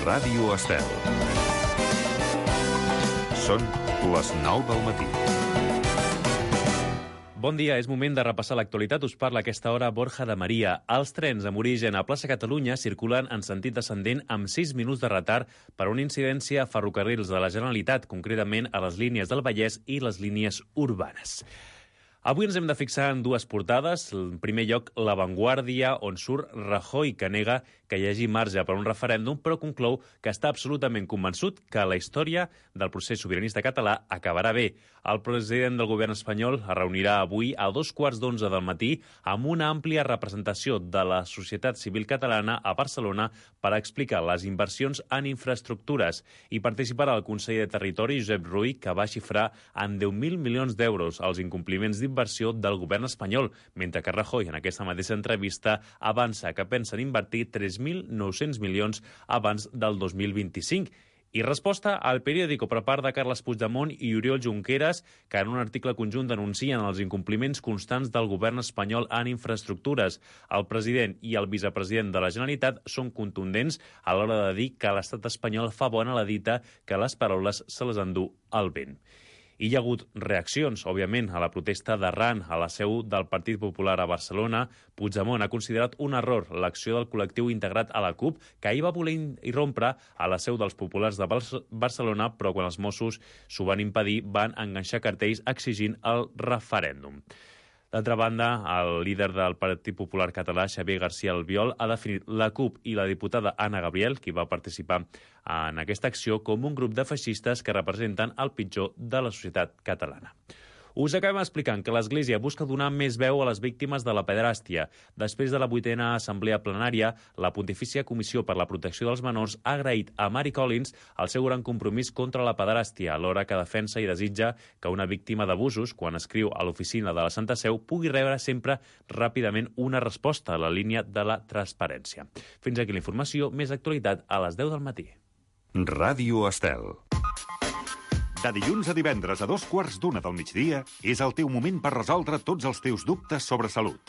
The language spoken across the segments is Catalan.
Ràdio Estel. Són les 9 del matí. Bon dia, és moment de repassar l'actualitat. Us parla a aquesta hora Borja de Maria. Els trens amb origen a Plaça Catalunya circulen en sentit descendent amb 6 minuts de retard per una incidència a ferrocarrils de la Generalitat, concretament a les línies del Vallès i les línies urbanes. Avui ens hem de fixar en dues portades. En primer lloc, La Vanguardia, on surt Rajoy, que nega que hi hagi marge per un referèndum, però conclou que està absolutament convençut que la història del procés sobiranista català acabarà bé. El president del govern espanyol es reunirà avui a 11:15 del matí amb una àmplia representació de la societat civil catalana a Barcelona per explicar les inversions en infraestructures. I participarà el conseller de Territori, Josep Rull, que va xifrar en 10.000 milions d'euros els incompliments d'inversió del govern espanyol, mentre que Rajoy, en aquesta mateixa entrevista, avança que pensen invertir 3.900 milions abans del 2025. I resposta al Periódico per part de Carles Puigdemont i Oriol Junqueras, que en un article conjunt denuncien els incompliments constants del govern espanyol en infraestructures. El president i el vicepresident de la Generalitat són contundents a l'hora de dir que l'estat espanyol fa bona la dita, que les paraules se les endú el vent. Hi ha hagut reaccions, òbviament, a la protesta d'arran a la seu del Partit Popular a Barcelona. Puigdemont ha considerat un error l'acció del col·lectiu integrat a la CUP, que ahir va voler irrompre a la seu dels populars de Barcelona, però quan els Mossos s'ho van impedir, van enganxar cartells exigint el referèndum. D'altra banda, el líder del Partit Popular català, Xavier García Albiol, ha definit la CUP i la diputada Anna Gabriel, qui va participar en aquesta acció, com un grup de feixistes que representen el pitjor de la societat catalana. Us acabem explicant que l'Església busca donar més veu a les víctimes de la pederàstia. Després de la 8a assemblea plenària, la Pontifícia Comissió per la Protecció dels Menors ha agraït a Mary Collins el seu gran compromís contra la pederàstia, alhora que defensa i desitja que una víctima d'abusos, quan escriu a l'oficina de la Santa Seu, pugui rebre sempre ràpidament una resposta a la línia de la transparència. Fins aquí la informació, més actualitat a les 10 del matí. Ràdio Estel. De dilluns a divendres a 2:15 del migdia és el teu moment per resoldre tots els teus dubtes sobre salut.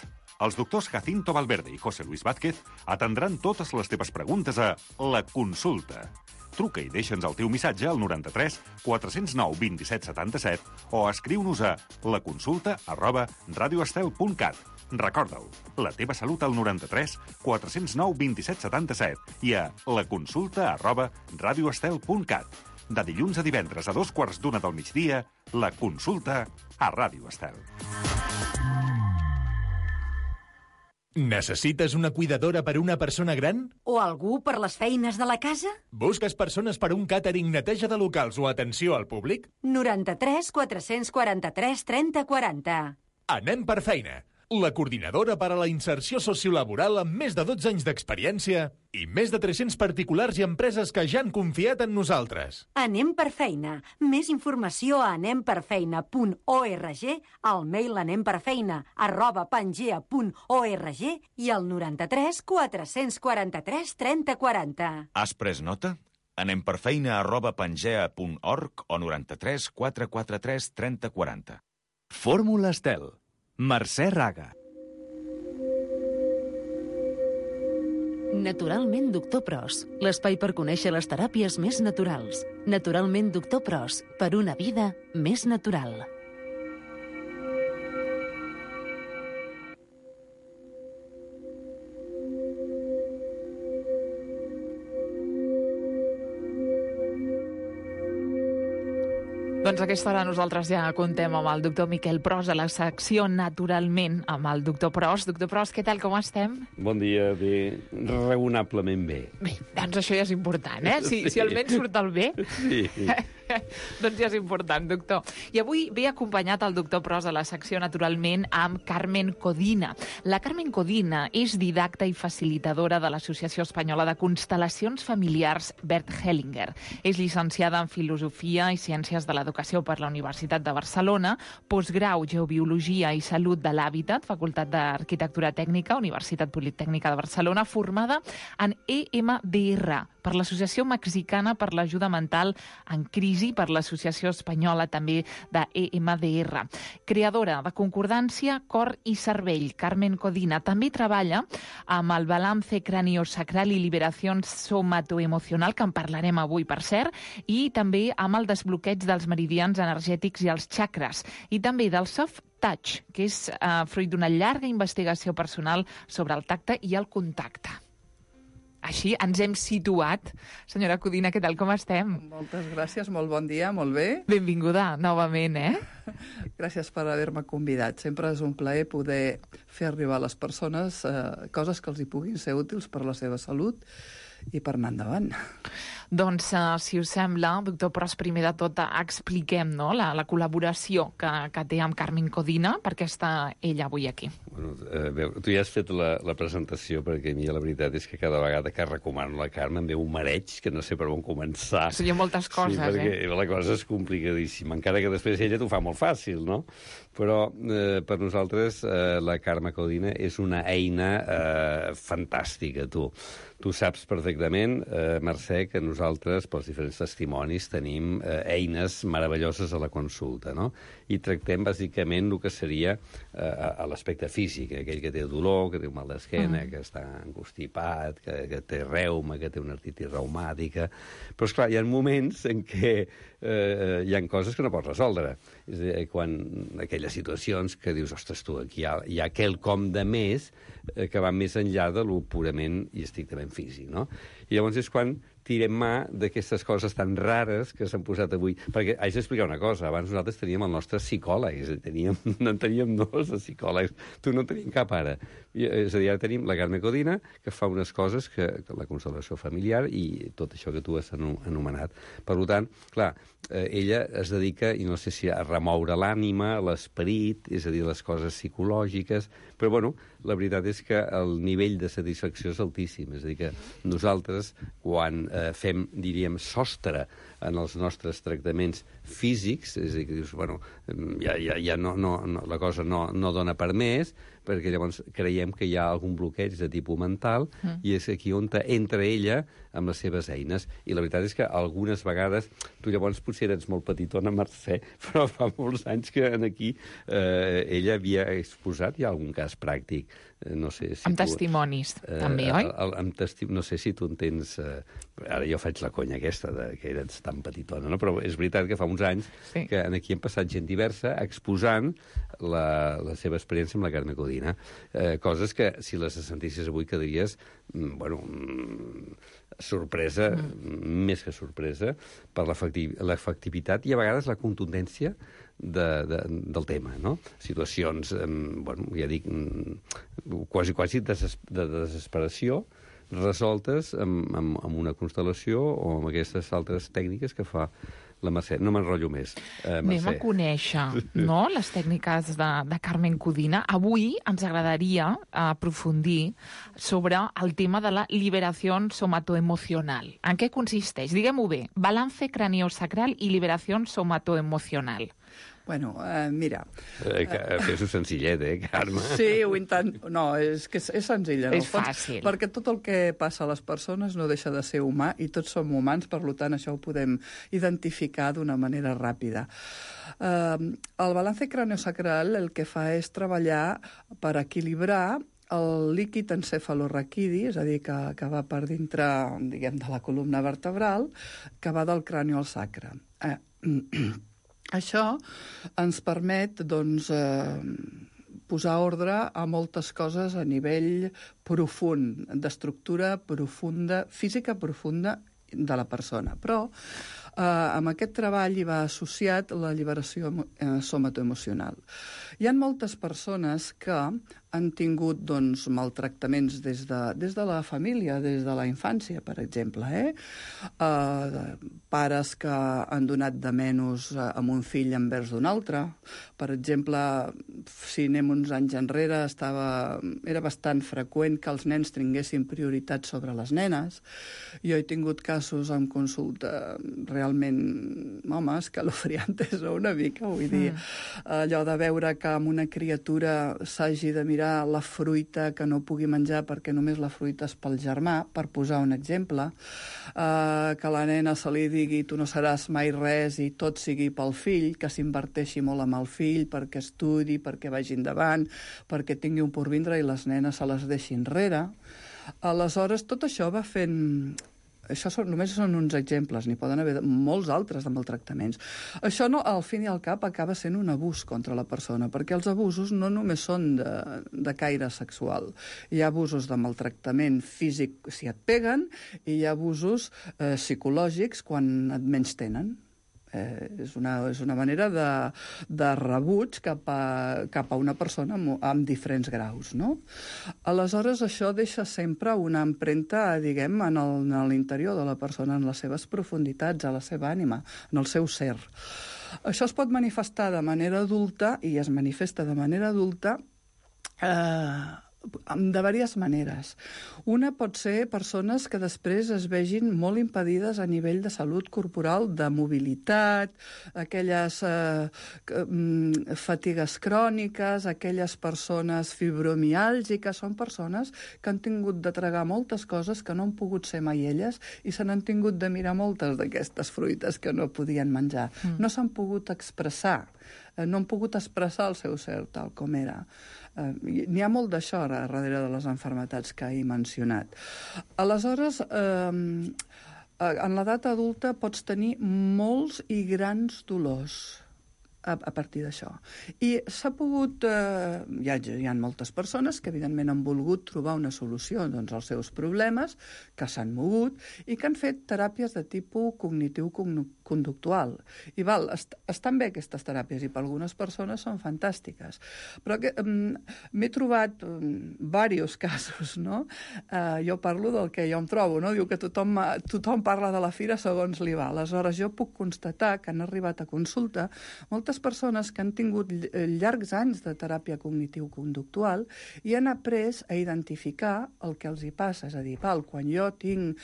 Els doctors Jacinto Valverde i José Luis Vázquez atendran totes les teves preguntes a La Consulta. Truca i deixa'ns el teu missatge al 93 409 27 77 o escriu-nos a laconsulta@radioestel.cat. Recorda-ho, la teva salut al 93 409 27 77 i a laconsulta@radioestel.cat. De dilluns a divendres a 2:15 del migdia, La Consulta a Ràdio Estel. Necessites una cuidadora per una persona gran? O algú per les feines de la casa? Busques persones per un càtering, neteja de locals o atenció al públic? 93 443 30 40. Anem per feina. La coordinadora per a la inserció sociolaboral amb més de 12 anys d'experiència i més de 300 particulars i empreses que ja han confiat en nosaltres. Anem per feina. Més informació a anemperfeina.org, al mail anemperfeina@pangea.org i al 93 443 30 40. Has pres nota? anemperfeina@pangea.org o 93 443 30 40. Fórmula Estel. Mercè Raga. Naturalment Doctor Pros, l'espai per conèixer les teràpies més naturals. Naturalment Doctor Pros, per una vida més natural. Doncs a aquesta hora nosaltres ja contem amb el doctor Miquel Pros a la secció Naturalment amb el doctor Pros. Doctor Pros, què tal, com estem? Bon dia, bé, raonablement bé. Bé, doncs això ja és important, eh? Si almenys surt el bé. Sí. Doncs ja és important, doctor. I avui ve acompanyat el doctor Pros a la secció Naturalment amb Carmen Codina. La Carmen Codina és didacta i facilitadora de l'Associació Espanyola de Constel·lacions Familiars Bert Hellinger. És llicenciada en Filosofia i Ciències de l'Educació per la Universitat de Barcelona, postgrau Geobiologia i Salut de l'Hàbitat, Facultat d'Arquitectura Tècnica, Universitat Politècnica de Barcelona, formada en EMDR, per l'Associació Mexicana per l'Ajuda Mental en Crisi, per l'Associació Espanyola també de EMDR. Creadora de Concordància, Cor i Cervell, Carmen Codina, també treballa amb el Balance Craniosacral i Liberació Somatoemocional, que en parlarem avui, per cert, i també amb el desbloqueig dels meridians energètics i els xakres, i també del soft touch, que és fruit d'una llarga investigació personal sobre el tacte i el contacte. Així ens hem situat. Senyora Codina, què tal, com estem? Moltes gràcies, molt bon dia, molt bé. Benvinguda novament, Gràcies per haver-me convidat. Sempre és un plaer poder fer arribar a les persones coses que els hi puguin ser útils per la seva salut i per anar endavant. Doncs, si us sembla, doctor Pros, primer de tot expliquem la col·laboració que té amb Carmen Codina, perquè està ella avui aquí. Bueno, tu ja has fet la presentació, perquè a mi la veritat és que cada vegada que recomano la Carme em ve un mareig que no sé per on començar. Hi ha moltes coses, perquè la cosa és complicadíssima, encara que després ella t'ho fa molt fàcil, no? Però per nosaltres la Carme Codina és una eina fantàstica, tu. Tu saps perfectament, Mercè, que nosaltres, pels diferents testimonis, tenim eines meravelloses a la consulta, no? I tractem, bàsicament, el que seria a l'aspecte físic, aquell que té dolor, que té un mal d'esquena, que està angustipat, que té reuma, que té una artritis reumàtica. Però, esclar, hi ha moments en què hi ha coses que no pots resoldre. És a dir, quan aquelles situacions que dius, ostres, tu, aquí hi ha quelcom de més que va més enllà de lo purament i estrictament físic, no? I llavors és quan tirem mà d'aquestes coses tan rares que s'han posat avui. Perquè haig d'explicar una cosa. Abans nosaltres teníem el nostre psicòleg, és a dir, en teníem dos de psicòlegs. Tu no en teníem cap ara. És a dir, ara tenim la Carme Codina, que fa unes coses que la constel·lació familiar i tot això que tu has anomenat. Per tant, clar, ella es dedica, i no sé si a remoure l'ànima, l'esperit, és a dir, les coses psicològiques, però, bueno, la veritat és que el nivell de satisfacció és altíssim. És a dir, que nosaltres, quan fem, diríem, sostre en els nostres tractaments físics, és a dir, que dius, bueno, ja la cosa no dona per més, perquè llavors creiem que hi ha algun bloqueig de tipus mental, i és aquí on entra ella amb les seves eines. I la veritat és que algunes vegades, tu llavors potser eres molt petitona, Mercè, però fa molts anys que aquí ella havia exposat ja algun cas pràctic. No sé si amb testimonis, també, oi? No sé si tu entens... Ara jo faig la conya aquesta, que eres tan petitona, no? Però és veritat que fa uns anys que aquí hem passat gent diversa exposant la seva experiència amb la Carme Codina. Coses que, si les sentissis avui, quedaries, bueno, sorpresa, més que sorpresa, per l'efectivitat i a vegades la contundència del tema, no? Situacions, bueno, ja dic, quasi de desesperació, resoltes amb una constel·lació o amb aquestes altres tècniques que fa la Mercè. No m'enrotllo més. Anem a conèixer, no?, les tècniques de Carmen Codina. Avui ens agradaria aprofundir sobre el tema de la liberació somatoemocional. En què consisteix? Diguem-ho bé. Balance craniosacral i liberació somatoemocional. Bueno, mira... Fes-ho senzillet, Carme? Sí, ho intento. No, és que és senzill. És fàcil. Perquè tot el que passa a les persones no deixa de ser humà i tots som humans, per tant, això ho podem identificar d'una manera ràpida. El balance craniosacral el que fa és treballar per equilibrar el líquid encefalorraquidi, és a dir, que va per dintre, diguem, de la columna vertebral, que va del crani al sacre. Això ens permet, doncs, posar ordre a moltes coses a nivell profund, d'estructura profunda, física profunda de la persona. Però amb aquest treball hi va associat la lliberació somatoemocional. Hi ha moltes persones que han tingut, doncs, maltractaments des de la família, des de la infància, per exemple. Pares que han donat de menys amb un fill envers d'un altre. Per exemple, si anem uns anys enrere, era bastant freqüent que els nens tinguessin prioritat sobre les nenes. Jo he tingut casos en consulta realment realment, home, escalofriantes, una mica, vull dir, allò de veure que amb una criatura s'hagi de mirar la fruita que no pugui menjar perquè només la fruita és pel germà, per posar un exemple, que la nena se li digui tu no seràs mai res i tot sigui pel fill, que s'inverteixi molt amb el fill perquè estudi, perquè vagi endavant, perquè tingui un porvindre i les nenes se les deixi enrere. Aleshores, tot això va fent... Això només són uns exemples, n'hi poden haver molts altres de maltractaments. Això, no, al fin i al cap, acaba sent un abús contra la persona, perquè els abusos no només són de caire sexual. Hi ha abusos de maltractament físic si et peguen, i hi ha abusos psicològics quan et menystenen. És una manera de rebuig cap a una persona amb diferents graus, no? Aleshores, això deixa sempre una empremta, diguem, en l'interior de la persona, en les seves profunditats, a la seva ànima, en el seu ser. Això es pot manifestar de manera adulta, i es manifesta de manera adulta, de diverses maneres. Una pot ser persones que després es vegin molt impedides a nivell de salut corporal, de mobilitat, aquelles fatigues cròniques, aquelles persones fibromiàlgiques, són persones que han tingut de tragar moltes coses que no han pogut ser mai elles i se n'han tingut de mirar moltes d'aquestes fruites que no podien menjar. No s'han pogut expressar, no han pogut expressar el seu ser tal com era. N'hi ha molt d'això darrere de les malalties que he mencionat. Aleshores, en l'edat adulta pots tenir molts i grans dolors a partir d'això. I s'ha pogut... Hi ha moltes persones que, evidentment, han volgut trobar una solució als seus problemes, que s'han mogut i que han fet teràpies de tipus cognitiu-conductual. I estan bé aquestes teràpies i per algunes persones són fantàstiques. Però m'he trobat diversos casos, no? Jo parlo del que jo em trobo, no? Diu que tothom parla de la fira segons li va. Aleshores, jo puc constatar que han arribat a consulta moltes persones que han tingut llargs anys de teràpia cognitiu-conductual i han après a identificar el que els hi passa. És a dir, quan jo tinc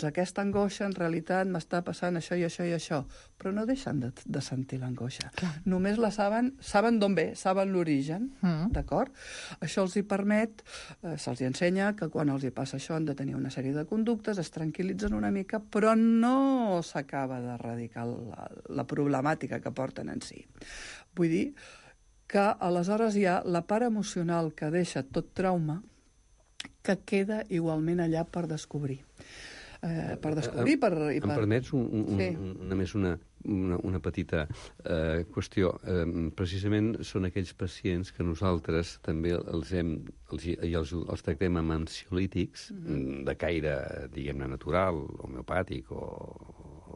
aquesta angoixa, en realitat m'està passant això i això i això. Però no deixen de sentir l'angoixa. Només la saben d'on ve, saben l'origen, d'acord? Això els hi permet, se'ls ensenya que quan els hi passa això han de tenir una sèrie de conductes, es tranquil·litzen una mica, però no s'acaba d'erradicar la problemàtica que porten en si. Vull dir que aleshores hi ha la part emocional que deixa tot trauma que queda igualment allà per descobrir. Em permets només una petita qüestió. Precisament són aquells pacients que nosaltres també els tractem amb ansiolítics de caire, diguem-ne, natural, homeopàtic o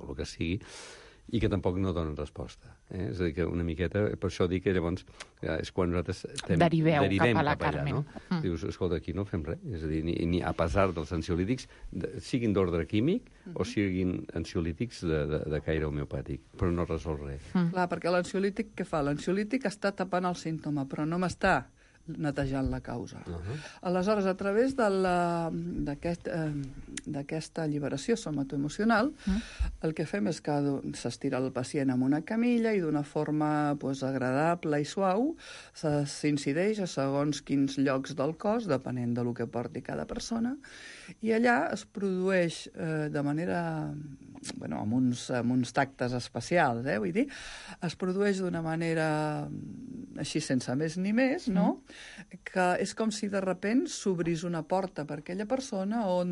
el que sigui, i que tampoc no donen resposta. És a dir, que una miqueta... Per això dic que llavors és quan nosaltres derivem cap a la Carmen. No? Dius, escolta, aquí no fem res. És a dir, ni a pesar dels ansiolítics, siguin d'ordre químic o siguin ansiolítics de caire homeopàtic, però no resol res. Clar, perquè l'ansiolític què fa? L'ansiolític està tapant el símptoma, però no m'està netejant la causa. Aleshores, a través d'aquesta alliberació somatoemocional, el que fem és que s'estira el pacient en una camilla i d'una forma agradable i suau s'incideix a segons quins llocs del cos, depenent del que porti cada persona, i allà es produeix de manera... amb uns tactes especials, vull dir, es produeix d'una manera així sense més ni més, no? Que és com si de sobte s'obrís una porta per aquella persona o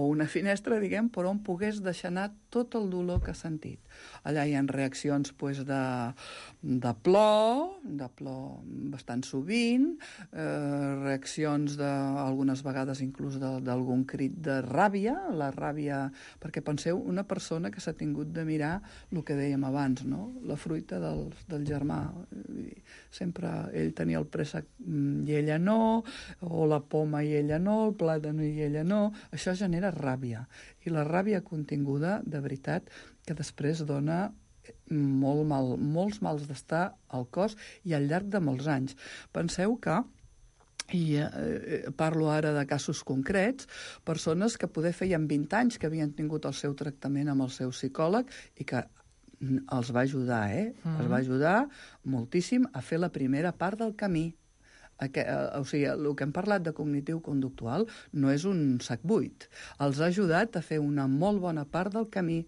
una finestra, diguem, per on pogués deixar anar tot el dolor que ha sentit. Allà hi ha reaccions de plor bastant sovint, reaccions algunes vegades inclús d'algun crit de ràbia, la ràbia, perquè penseu, una persona que s'ha tingut de mirar el que dèiem abans, no? La fruita del germà. Sempre ell tenia el préssec i ella no, o la poma i ella no, el plàtan i ella no. Això genera ràbia. I la ràbia continguda, de veritat, que després dona molts mals d'estar al cos i al llarg de molts anys. Penseu que i parlo ara de casos concrets, persones que poder feien 20 anys que havien tingut el seu tractament amb el seu psicòleg i que els va ajudar, els va ajudar moltíssim a fer la primera part del camí. O sigui, el que hem parlat de cognitiu-conductual no és un sac buit. Els ha ajudat a fer una molt bona part del camí,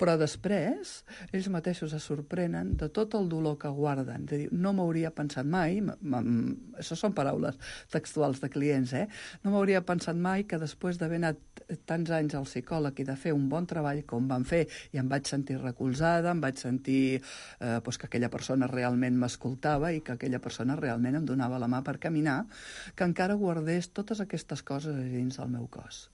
però després ells mateixos es sorprenen de tot el dolor que guarden. De dir, no m'hauria pensat mai, això són paraules textuals de clients, no m'hauria pensat mai que després d'haver anat tants anys al psicòleg i de fer un bon treball com van fer, i em vaig sentir recolzada, em vaig sentir que aquella persona realment m'escoltava i que aquella persona realment em donava la mà per caminar, que encara guardés totes aquestes coses a dins del meu cos.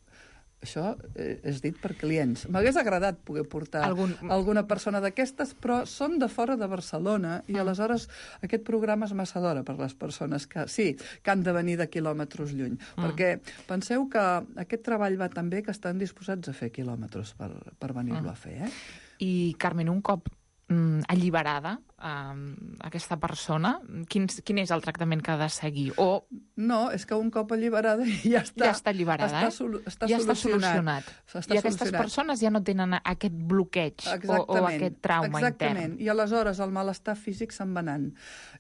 Això és dit per clients. M'hagués agradat poder portar alguna persona d'aquestes, però són de fora de Barcelona i aleshores aquest programa és massa d'hora per les persones que han de venir de quilòmetres lluny. Perquè penseu que aquest treball va tan bé que estan disposats a fer quilòmetres per venir-lo a fer. I, Carmen, un cop alliberada aquesta persona, quin és el tractament que ha de seguir? No, és que un cop alliberada ja està. Ja està alliberada, ja està solucionat. I aquestes persones ja no tenen aquest bloqueig o aquest trauma intern. Exactament, i aleshores el malestar físic se'n va anant.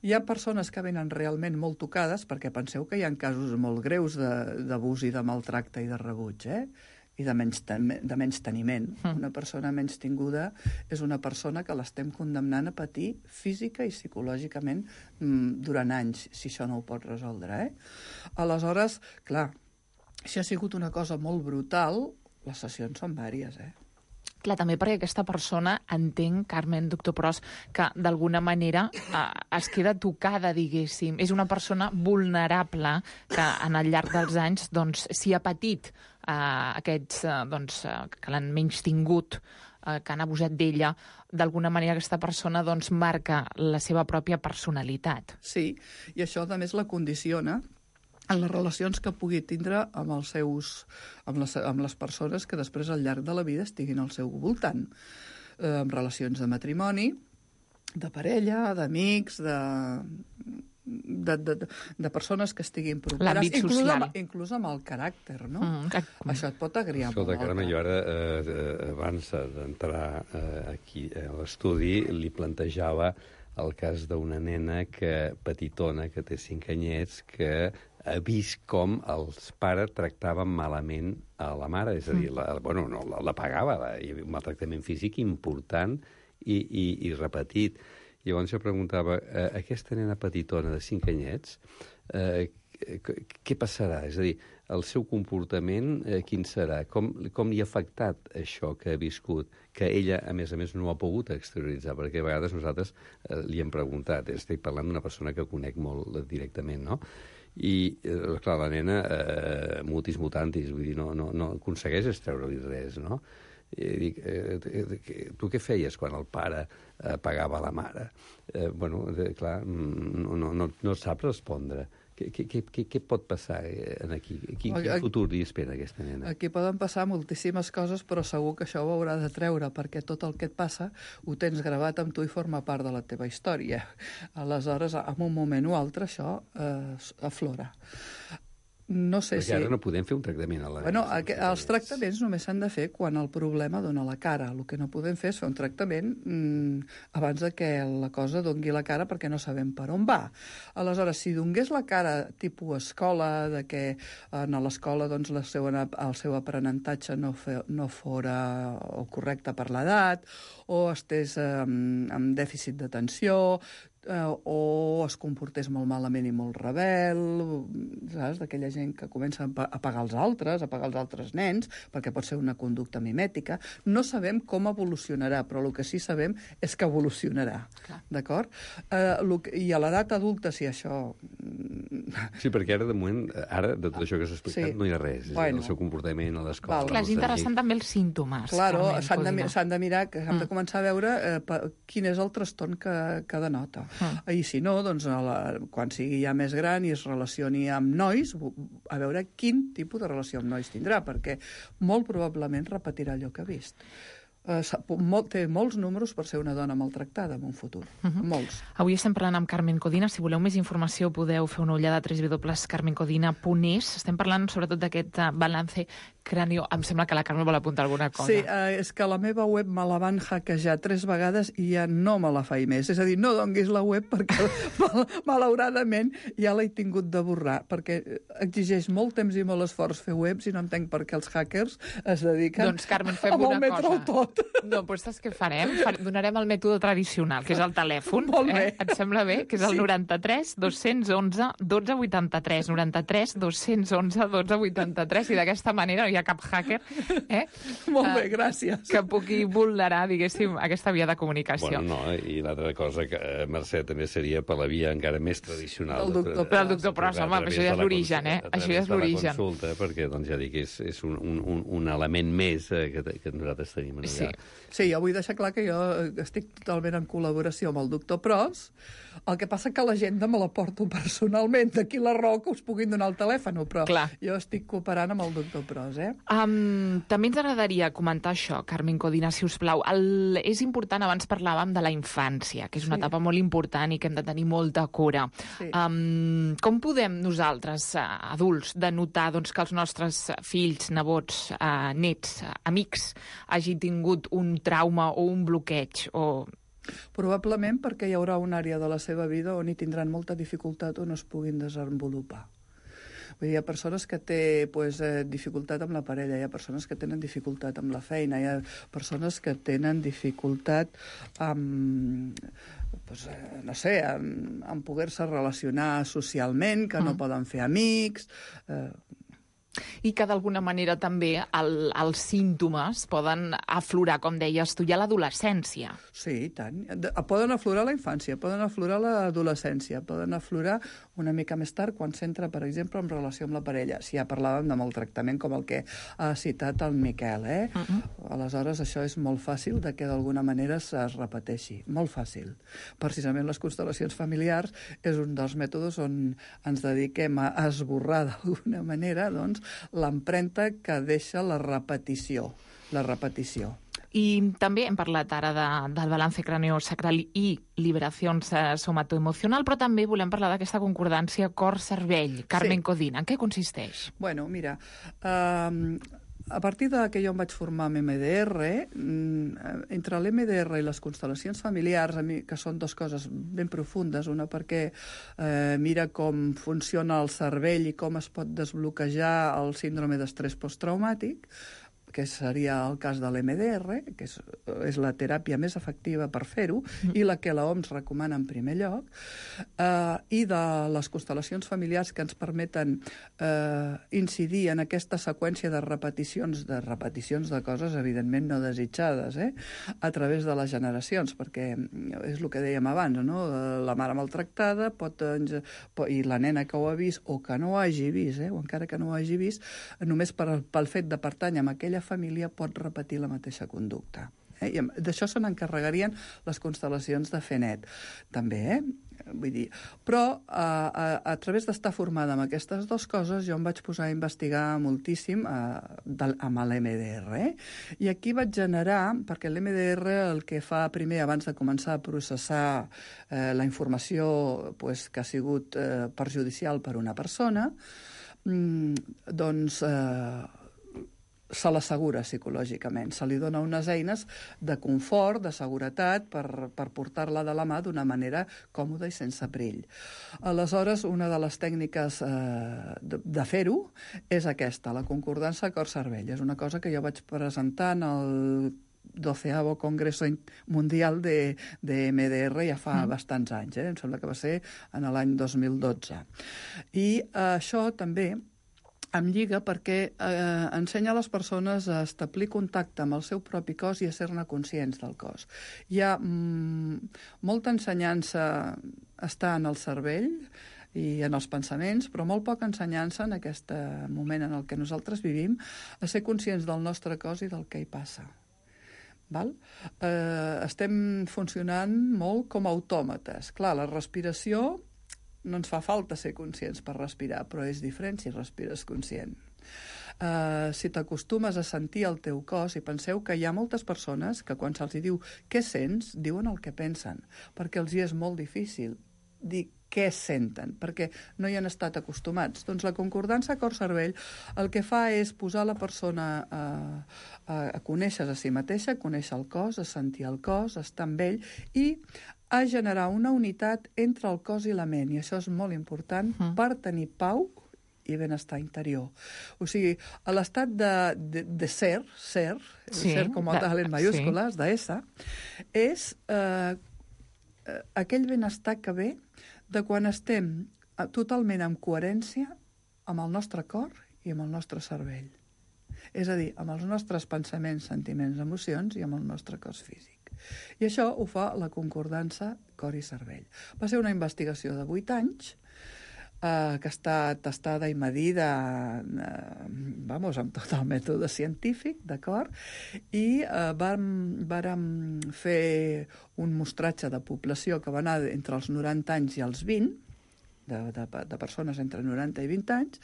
Hi ha persones que venen realment molt tocades, perquè penseu que hi ha casos molt greus d'abús i de maltracte i de rebuig, i de menysteniment. Una persona menystinguda és una persona que l'estem condemnant a patir física i psicològicament durant anys, si això no ho pot resoldre. Aleshores, clar, si ha sigut una cosa molt brutal, les sessions són vàries, Clar, també perquè aquesta persona, entenc, Carmen, doctor Pros, que d'alguna manera es queda tocada, diguéssim. És una persona vulnerable que en el llarg dels anys s'hi ha patit aquests que l'han menystingut, que han abusat d'ella. D'alguna manera aquesta persona marca la seva pròpia personalitat. Sí, i això a més la condiciona en les relacions que pugui tindre amb les persones que després al llarg de la vida estiguin al seu voltant. En relacions de matrimoni, de parella, d'amics, de persones que estiguin properes. L'àmbit social. Inclús amb el caràcter, no? Això et pot agriar molt. Escolta, Carme, jo ara, abans d'entrar aquí a l'estudi, li plantejava el cas d'una nena petitona, que té 5 anyets, que ha vist com els pares tractaven malament a la mare, és a dir, la pagava, hi havia un maltractament físic important i repetit. Llavors jo preguntava, aquesta nena petitona de 5 anyets, què passarà? És a dir, el seu comportament quin serà? Com li ha afectat això que ha viscut, que ella, a més, no ha pogut exterioritzar? Perquè a vegades nosaltres li hem preguntat, estic parlant d'una persona que conec molt directament, no? I, clar, la nena, mutis mutantis, vull dir, no aconsegueix extreure-li res, no? I dic, tu què feies quan el pare pagava la mare? Clar, no sap respondre. Què pot passar aquí? Quin futur li espera aquesta nena? Aquí poden passar moltíssimes coses, però segur que això ho haurà de treure, perquè tot el que et passa ho tens gravat amb tu i forma part de la teva història. Aleshores, en un moment o altre, això aflora. No sé si... Perquè ara no podem fer un tractament a la... Els tractaments només s'han de fer quan el problema dona la cara. El que no podem fer és fer un tractament abans de que la cosa dongui la cara, perquè no sabem per on va. Aleshores, si dongués la cara tipus escola, de que a l'escola el seu aprenentatge no fora correcte per l'edat, o estés amb dèficit d'atenció, o es comportés molt malament i molt rebel, saps? D'aquella gent que comença a pagar els altres nens, perquè pot ser una conducta mimètica. No sabem com evolucionarà, però el que sí sabem és que evolucionarà, d'acord? I a l'edat adulta, si això... Sí, perquè ara, de moment, de tot això que s'ha explicat, no hi ha res. El seu comportament a l'escola... Clar, és interessant també els símptomes. Claro, s'han de mirar, s'han de començar a veure quin és el trastorn que denota. I si no, doncs, quan sigui ja més gran i es relacioni amb nois, a veure quin tipus de relació amb nois tindrà, perquè molt probablement repetirà allò que ha vist. té molts números per ser una dona maltractada en un futur. Molts. Avui estem parlant amb Carmen Codina. Si voleu més informació podeu fer una ullada a www.carmencodina.es. Estem parlant sobretot d'aquest balance cráneo. Em sembla que la Carmen vol apuntar alguna cosa. Sí, és que la meva web me la van hackejar 3 vegades i ja no me la faig més. És a dir, no donguis la web perquè malauradament ja l'he tingut de borrar, perquè exigeix molt temps i molt esforç fer webs i no entenc per què els hackers es dediquen doncs, Carmen, fem a malmetre-ho tot. No, doncs saps què farem? Donarem el mètode tradicional, que és el telèfon. Molt bé. Et sembla bé? Que és el 93 211 12 83. 93 211 12 83. I d'aquesta manera no hi ha cap hacker molt bé, gràcies. Que pugui vulnerar, diguéssim, aquesta via de comunicació. Bueno, no, i l'altra cosa, que Mercè, també seria per la via encara més tradicional. Però el doctor Pros, home, això ja és l'origen, Això ja és l'origen. La consulta, perquè, doncs, ja dic, és un element més que nosaltres tenim allà. Sí, jo vull deixar clar que jo estic totalment en col·laboració amb el doctor Pros. El que passa que l'agenda me la porto personalment. D'aquí la raó que us puguin donar el telèfon, però jo estic cooperant amb el doctor Pros, També ens agradaria comentar això, Carmen Codina, si us plau. És important, abans parlàvem de la infància, que és una etapa molt important i que hem de tenir molta cura. Com podem nosaltres, adults, denotar que els nostres fills, nebots, nets, amics, hagin tingut un trauma o un bloqueig o... Probablement perquè hi haurà una àrea de la seva vida on hi tindran molta dificultat o no es puguin desenvolupar. Vull dir, hi ha persones que tenen dificultat amb la parella, hi ha persones que tenen dificultat amb la feina, hi ha persones que tenen dificultat amb, amb poder-se relacionar socialment, que no poden fer amics... I que d'alguna manera també els símptomes poden aflorar, com deies tu, ja a l'adolescència. Sí, i tant. Poden aflorar a la infància, poden aflorar a l'adolescència, poden aflorar una mica més tard quan s'entra, per exemple, en relació amb la parella. Si ja parlàvem de maltractament com el que ha citat el Miquel, Aleshores, això és molt fàcil de que d'alguna manera es repeteixi. Molt fàcil. Precisament les constel·lacions familiars és un dels mètodes on ens dediquem a esborrar d'alguna manera, doncs, l'empremta que deixa la repetició. I també hem parlat ara del balance craniosacral i liberació somatoemocional, però també volem parlar d'aquesta concordància cor-cervell. Carmen Codina, en què consisteix? Bueno, mira, a partir que jo em vaig formar amb MDR, entre l'MDR i les constel·lacions familiars, que són dues coses ben profundes, una perquè mira com funciona el cervell i com es pot desbloquejar el síndrome d'estrès posttraumàtic, que seria el cas de l'MDR, que és la teràpia més efectiva per fer-ho, i la que l'OMS recomana en primer lloc, i de les constel·lacions familiars que ens permeten incidir en aquesta seqüència de repeticions de coses, evidentment no desitjades, a través de les generacions, perquè és el que dèiem abans, no? La mare maltractada i la nena que ho ha vist o que no ho hagi vist, o encara que no ho hagi vist, només pel fet de pertànyer a aquella família pot repetir la mateixa conducta. I d'això se n'encarregarien les constel·lacions de fer net, també, vull dir. Però a través d'estar formada amb aquestes dues coses jo em vaig posar a investigar moltíssim amb l'MDR. I aquí vaig generar, perquè l'MDR el que fa primer, abans de començar a processar la informació que ha sigut perjudicial per una persona, doncs se l'assegura psicològicament, se li dona unes eines de confort, de seguretat, per portar-la de la mà d'una manera còmoda i sense perill. Aleshores, una de les tècniques de fer-ho és aquesta, la concordança cor-cervell. És una cosa que jo vaig presentar en el 12º Congreso Mundial de MDR ja fa bastants anys, em sembla que va ser en l'any 2012. I això també em lliga perquè ensenya a les persones a establir contacte amb el seu propi cos i a ser-ne conscients del cos. Hi ha molta ensenyança està en el cervell i en els pensaments, però molt poca ensenyança en aquest moment en el que nosaltres vivim a ser conscients del nostre cos i del que hi passa. Estem funcionant molt com autòmates. Clar, la respiració no ens fa falta ser conscients per respirar, però és diferent si respires conscient. si t'acostumes a sentir el teu cos, i penseu que hi ha moltes persones que quan se'ls diu què sents, diuen el que pensen, perquè els hi és molt difícil dir què senten, perquè no hi han estat acostumats. Doncs la concordança cor-cervell el que fa és posar la persona a conèixer a si mateixa, a conèixer el cos, a sentir el cos, a estar amb ell i a generar una unitat entre el cos i la ment, i això és molt important per tenir pau i benestar interior. O sigui, a l'estat de ser com a tal en mayúscules, de S, és aquell benestar que ve de quan estem totalment en coherència amb el nostre cor i amb el nostre cervell. És a dir, amb els nostres pensaments, sentiments, emocions i amb el nostre cos físic. I això ho fa la concordança cor i cervell. Va ser una investigació de 8 anys que està testada i medida amb tot el mètode científic, d'acord? I vàrem fer un mostratge de població que va anar entre els 90 anys i els 20, de persones entre 90 i 20 anys,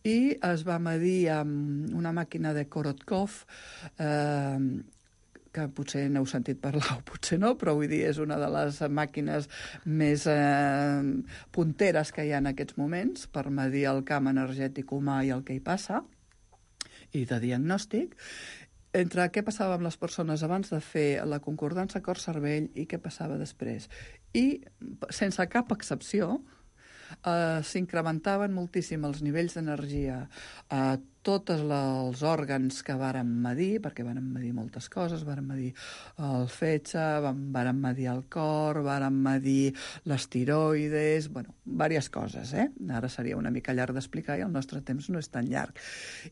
i es va medir amb una màquina de Korotkov, que potser n'heu sentit parlar o potser no, però vull dir, és una de les màquines més punteres que hi ha en aquests moments per medir el camp energètic humà i el que hi passa, i de diagnòstic, entre què passava amb les persones abans de fer la concordança cor-cervell i què passava després. I, sense cap excepció, s'incrementaven moltíssim els nivells d'energia a tots els òrgans que vàrem medir, perquè vàrem medir moltes coses, vàrem medir el fetge, vàrem medir el cor, vàrem medir les tiroides, diverses coses, Ara seria una mica llarg d'explicar i el nostre temps no és tan llarg.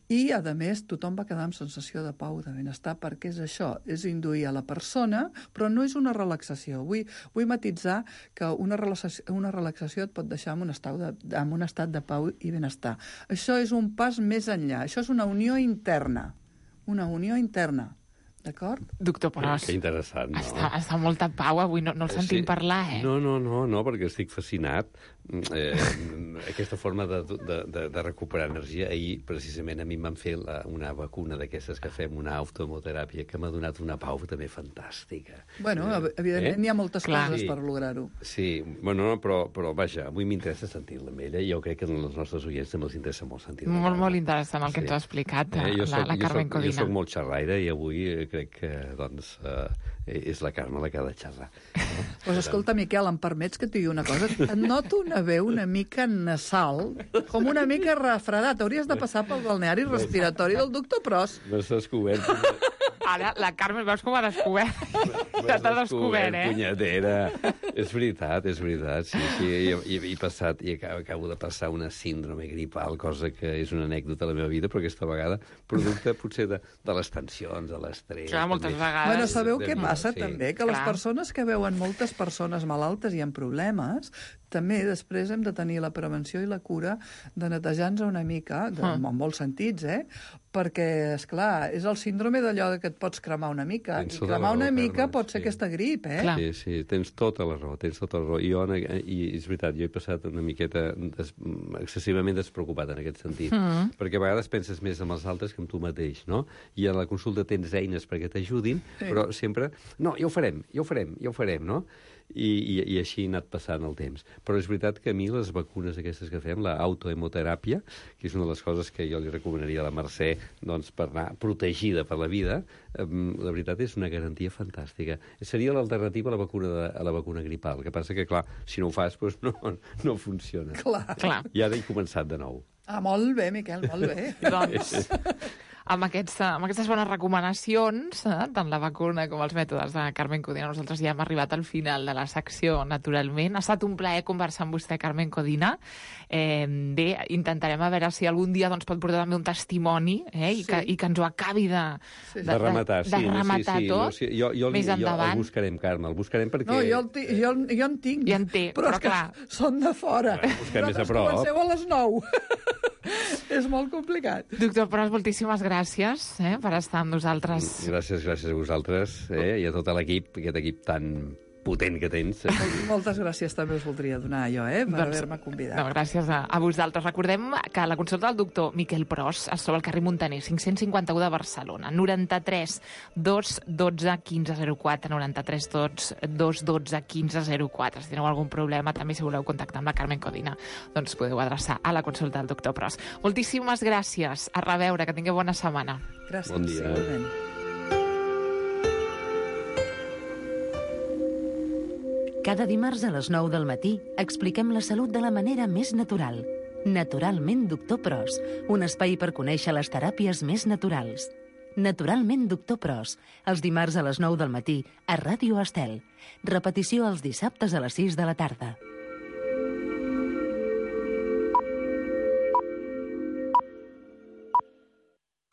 I, a més, tothom va quedar amb sensació de pau, de benestar, perquè és això, és induir a la persona, però no és una relaxació. Vull matisar que una relaxació et pot deixar en un estat de pau i benestar. Això és un pas més enllà. Això és una unió interna. Una unió interna. D'acord? Doctor Pros. Que interessant, no? Està molta pau avui, no el sentim parlar, No, perquè estic fascinat. Aquesta forma de recuperar energia. Ahir, precisament, a mi em van fer una vacuna d'aquestes que fem, una autohemoteràpia, que m'ha donat una pau també fantàstica. Evidentment hi ha moltes coses per lograr-ho. Sí, però vaja, avui m'interessa sentir-la amb ella i jo crec que als nostres oients també els interessa molt sentir-la. Molt interessant el que ens ha explicat la Carmen Codina. Jo soc molt xerraire i avui crec que, és la Carme la que ha de xerrar. Doncs escolta, Miquel, em permets que et digui una cosa? Et noto una veu una mica nasal, com una mica refredat. Hauries de passar pel balneari respiratori del doctor Pros. M'has descobert. Ara, la Carme, veus com ha descobert? Ja t'ha descobert, punyetera. És veritat, sí. I acabo de passar una síndrome gripal, cosa que és una anècdota a la meva vida, però aquesta vegada producte potser de les tensions, de l'estrès. Clar, moltes vegades. Sabeu què passa també? Que les persones que veuen moltes persones malaltes i amb problemes, també després hem de tenir la prevenció i la cura de netejar-nos una mica, en molts sentits, perquè, esclar, és el síndrome d'allò que et pots cremar una mica. I cremar una mica pot ser aquesta grip, Sí, tens tota la raó, I és veritat, jo he passat una miqueta excessivament despreocupat en aquest sentit, perquè a vegades penses més en els altres que en tu mateix, no? I a la consulta tens eines perquè t'ajudin, però sempre, no, ja ho farem, no? I així ha anat passant el temps. Però és veritat que a mi les vacunes aquestes que fem, l'autohemoteràpia, que és una de les coses que jo li recomanaria a la Mercè per anar protegida per la vida, la veritat és una garantia fantàstica. Seria l'alternativa a la vacuna gripal. El que passa que, clar, si no ho fas, no funciona. Clar. I ara he començat de nou. Molt bé, Miquel, molt bé. Doncs, amb aquestes bones recomanacions, tant la vacuna com els mètodes de Carmen Codina, nosaltres ja hem arribat al final de la secció, naturalment. Ha estat un plaer conversar amb vostè, Carmen Codina. Bé, intentarem a veure si algun dia pot portar també un testimoni i que ens ho acabi de rematar tot més endavant. El buscarem, Carme, el buscarem perquè... No, jo en tinc. Ja en té, però clar. Són de fora. Busquem més a prop. Comenceu a les 9. És molt complicat. Doctor Pros, moltíssimes gràcies per estar amb nosaltres. Gràcies a vosaltres i a tot l'equip, aquest equip tan potent que tens. Moltes gràcies també us voldria donar jo, per haver-me convidat. No, gràcies a vosaltres. Recordem que la consulta del doctor Miquel Pros es troba al carrer Montaner, 551 de Barcelona, 93 212 1504, 93 212 1504. Si teniu algun problema, també si voleu contactar amb la Carmen Codina, doncs podeu adreçar a la consulta del doctor Pros. Moltíssimes gràcies. A reveure, que tingueu bona setmana. Gràcies, bon dia. Igualment. Cada dimarts a les 9 del matí expliquem la salut de la manera més natural. Naturalment Doctor Pros, un espai per conèixer les teràpies més naturals. Naturalment Doctor Pros, els dimarts a les 9 del matí a Ràdio Estel. Repetició els dissabtes a les 6 de la tarda.